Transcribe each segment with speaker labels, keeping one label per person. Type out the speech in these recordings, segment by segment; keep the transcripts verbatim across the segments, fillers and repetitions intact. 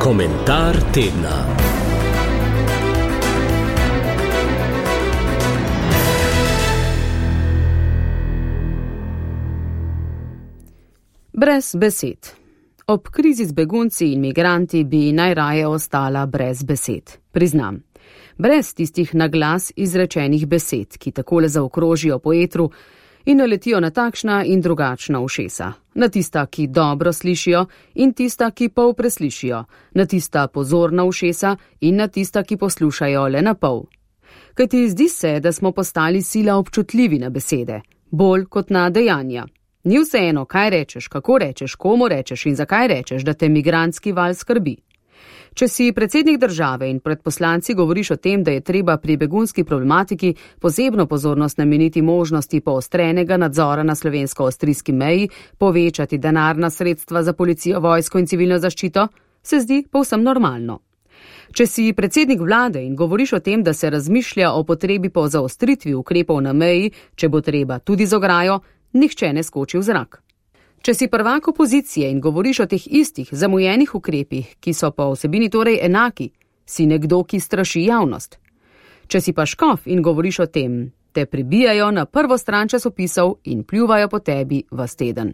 Speaker 1: Komentar tedna.
Speaker 2: Brez besed. Ob krizi z begunci in migranti bi najraje ostala brez besed. Priznam. Brez tistih na glas izrečenih besed, ki takole zaokrožijo po etru in naletijo na takšna in drugačna ušesa. Na tista, ki dobro slišijo, in tista, ki pol preslišijo. Na tista pozorna ušesa in na tista, ki poslušajo le na pol. Kajti zdi se, da smo postali sila občutljivi na besede, bolj kot na dejanja. Ni vseeno, kaj rečeš, kako rečeš, komu rečeš in zakaj rečeš, da te migrantski val skrbi. Če si predsednik države in pred poslanci govoriš o tem, da je treba pri begunski problematiki posebno pozornost nameniti možnosti poostrenega nadzora na slovensko-avstrijski meji, povečati denarna sredstva za policijo, vojsko in civilno zaščito, se zdi povsem normalno. Če si predsednik vlade in govoriš o tem, da se razmišlja o potrebi po zaostritvi ukrepov na meji, če bo treba tudi z ograjo, nihče ne skoči v zrak. Če si prvak opozicije in govoriš o teh istih zamujenih ukrepih, ki so po vsebini torej enaki, si nekdo, ki straši javnost. Če si pa škof in govoriš o tem, te pribijajo na prvo stran časopisov in pljuvajo po tebi vas teden.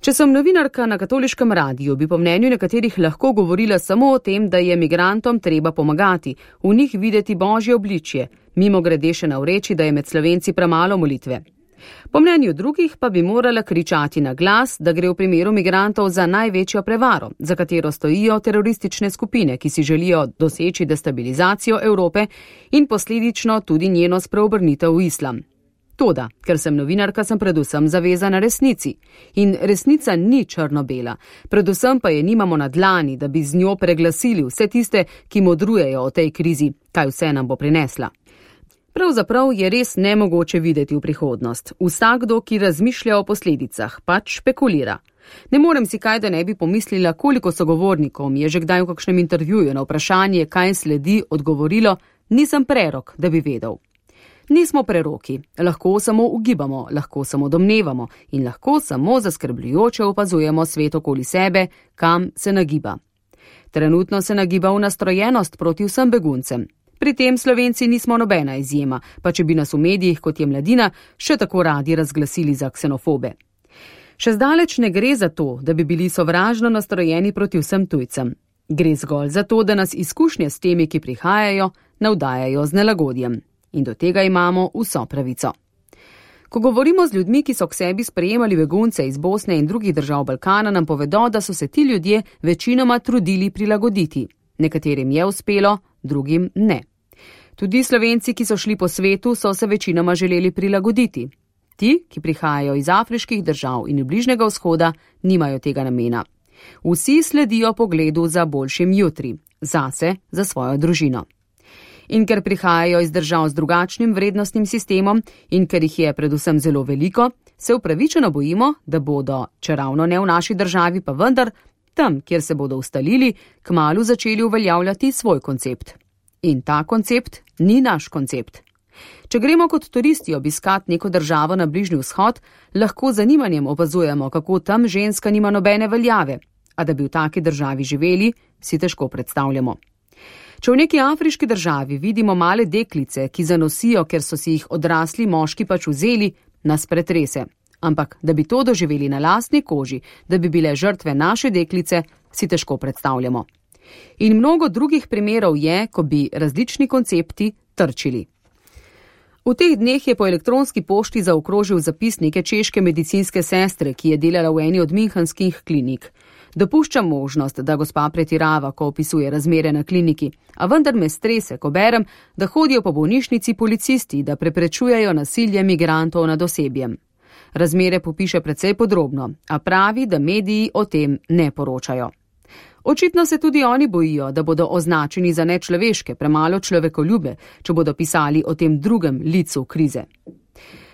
Speaker 2: Če sem novinarka na katoliškem radiju, bi po mnenju nekaterih lahko govorila samo o tem, da je migrantom treba pomagati, v njih videti božje obličje, mimo grede še navreči, da je med Slovenci premalo molitve. Po mnenju drugih pa bi morala kričati na glas, da gre v primeru migrantov za največjo prevaro, za katero stojijo teroristične skupine, ki si želijo doseči destabilizacijo Evrope in posledično tudi njeno spreobrnitev v islam. Toda, ker sem novinarka, sem predvsem zavezana resnici. In resnica ni črno-bela, predvsem pa je nimamo na dlani, da bi z njo preglasili vse tiste, ki modrujejo o tej krizi, kaj vse nam bo prinesla. Pravzaprav je res nemogoče videti v prihodnost. Vsakdo, ki razmišlja o posledicah, pač špekulira. Ne morem si kaj, da ne bi pomislila, koliko sogovornikom je že kdaj v kakšnem intervjuju na vprašanje, kaj sledi, odgovorilo, nisem prerok, da bi vedel. Nismo preroki, lahko samo ugibamo, lahko samo domnevamo in lahko samo zaskrbljujoče opazujemo svet okoli sebe, kam se nagiba. Trenutno se nagiba v nastrojenost proti vsem beguncem. Pri tem Slovenci nismo nobena izjema, pa če bi nas v medijih, kot je Mladina, še tako radi razglasili za ksenofobe. Še zdaleč ne gre za to, da bi bili sovražno nastrojeni proti vsem tujcem. Gre zgolj za to, da nas izkušnje s temi, ki prihajajo, navdajajo z nelagodjem. In do tega imamo vso pravico. Ko govorimo z ljudmi, ki so k sebi sprejemali begunce iz Bosne in drugih držav Balkana, nam povedo, da so se ti ljudje večinoma trudili prilagoditi. Nekaterim je uspelo, drugim ne. Tudi Slovenci, ki so šli po svetu, so se večinoma želeli prilagoditi. Ti, ki prihajajo iz afriških držav in Bližnjega vzhoda, nimajo tega namena. Vsi sledijo pogledu za boljšim jutri, zase, za svojo družino. In ker prihajajo iz držav z drugačnim vrednostnim sistemom in ker jih je predvsem zelo veliko, se upravičeno bojimo, da bodo, če ravno ne v naši državi, pa vendar, tam, kjer se bodo ustalili, kmalu začeli uveljavljati svoj koncept. In ta koncept ni naš koncept. Če gremo kot turisti obiskat neko državo na Bližnji vzhod, lahko z zanimanjem opazujemo, kako tam ženska nima nobene veljave, a da bi v taki državi živeli, si težko predstavljamo. Če v neki afriški državi vidimo male deklice, ki zanosijo, ker so si jih odrasli moški pač vzeli, nas pretrese. Ampak, da bi to doživeli na lastni koži, da bi bile žrtve naše deklice, si težko predstavljamo. In mnogo drugih primerov je, ko bi različni koncepti trčili. V teh dneh je po elektronski pošti zaokrožil zapis neke češke medicinske sestre, ki je delala v eni od münchenskih klinik. Dopuščam možnost, da gospa pretirava, ko opisuje razmere na kliniki, a vendar me strese, ko berem, da hodijo po bolnišnici policisti, da preprečujejo nasilje migrantov nad osebjem. Razmere popiše precej podrobno, a pravi, da mediji o tem ne poročajo. Očitno se tudi oni bojijo, da bodo označeni za nečloveške, premalo človekoljube, če bodo pisali o tem drugem licu krize.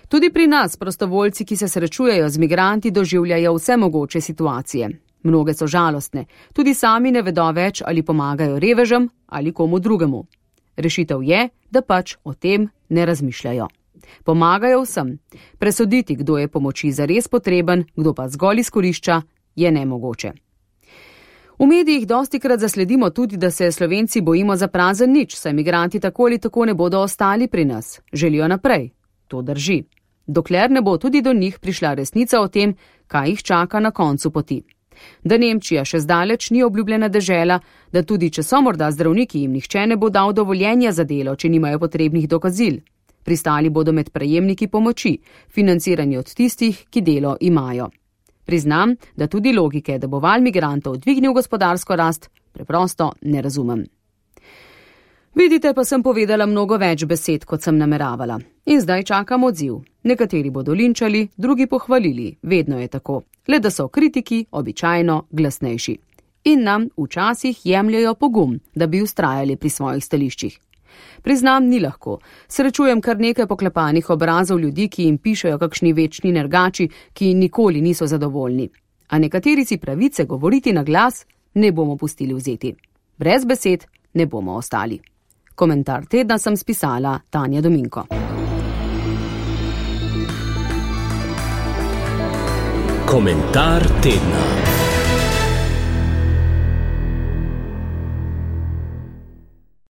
Speaker 2: Tudi pri nas prostovoljci, ki se srečujejo z migranti, doživljajo vse mogoče situacije. Mnoge so žalostne, tudi sami ne vedo več, ali pomagajo revežem ali komu drugemu. Rešitev je, da pač o tem ne razmišljajo. Pomagajo vsem. Presoditi, kdo je pomoči zares potreben, kdo pa zgolj izkorišča, je nemogoče. V medijih dostikrat zasledimo tudi, da se Slovenci bojimo za prazen nič, saj migranti tako ali tako ne bodo ostali pri nas. Želijo naprej. To drži. Dokler ne bo tudi do njih prišla resnica o tem, kaj jih čaka na koncu poti. Da Nemčija še zdaleč ni obljubljena dežela, da tudi če so morda zdravniki, jim nihče ne bo dal dovoljenja za delo, če nimajo potrebnih dokazil. Pristali bodo med prejemniki pomoči, financirani od tistih, ki delo imajo. Priznam, da tudi logike, da bo val migrantov dvignil gospodarsko rast, preprosto ne razumem. Vidite, pa sem povedala mnogo več besed, kot sem nameravala. In zdaj čakam odziv. Nekateri bodo linčali, drugi pohvalili. Vedno je tako. Le da so kritiki običajno glasnejši. In nam včasih jemljajo pogum, da bi vztrajali pri svojih stališčih. Priznam, ni lahko. Srečujem kar nekaj poklepanih obrazov ljudi, ki jim pišejo kakšni večni nergači, ki nikoli niso zadovoljni. A nekateri si pravice govoriti na glas ne bomo pustili vzeti. Brez besed ne bomo ostali. Komentar tedna sem spisala Tanja Dominko.
Speaker 1: Komentar tedna.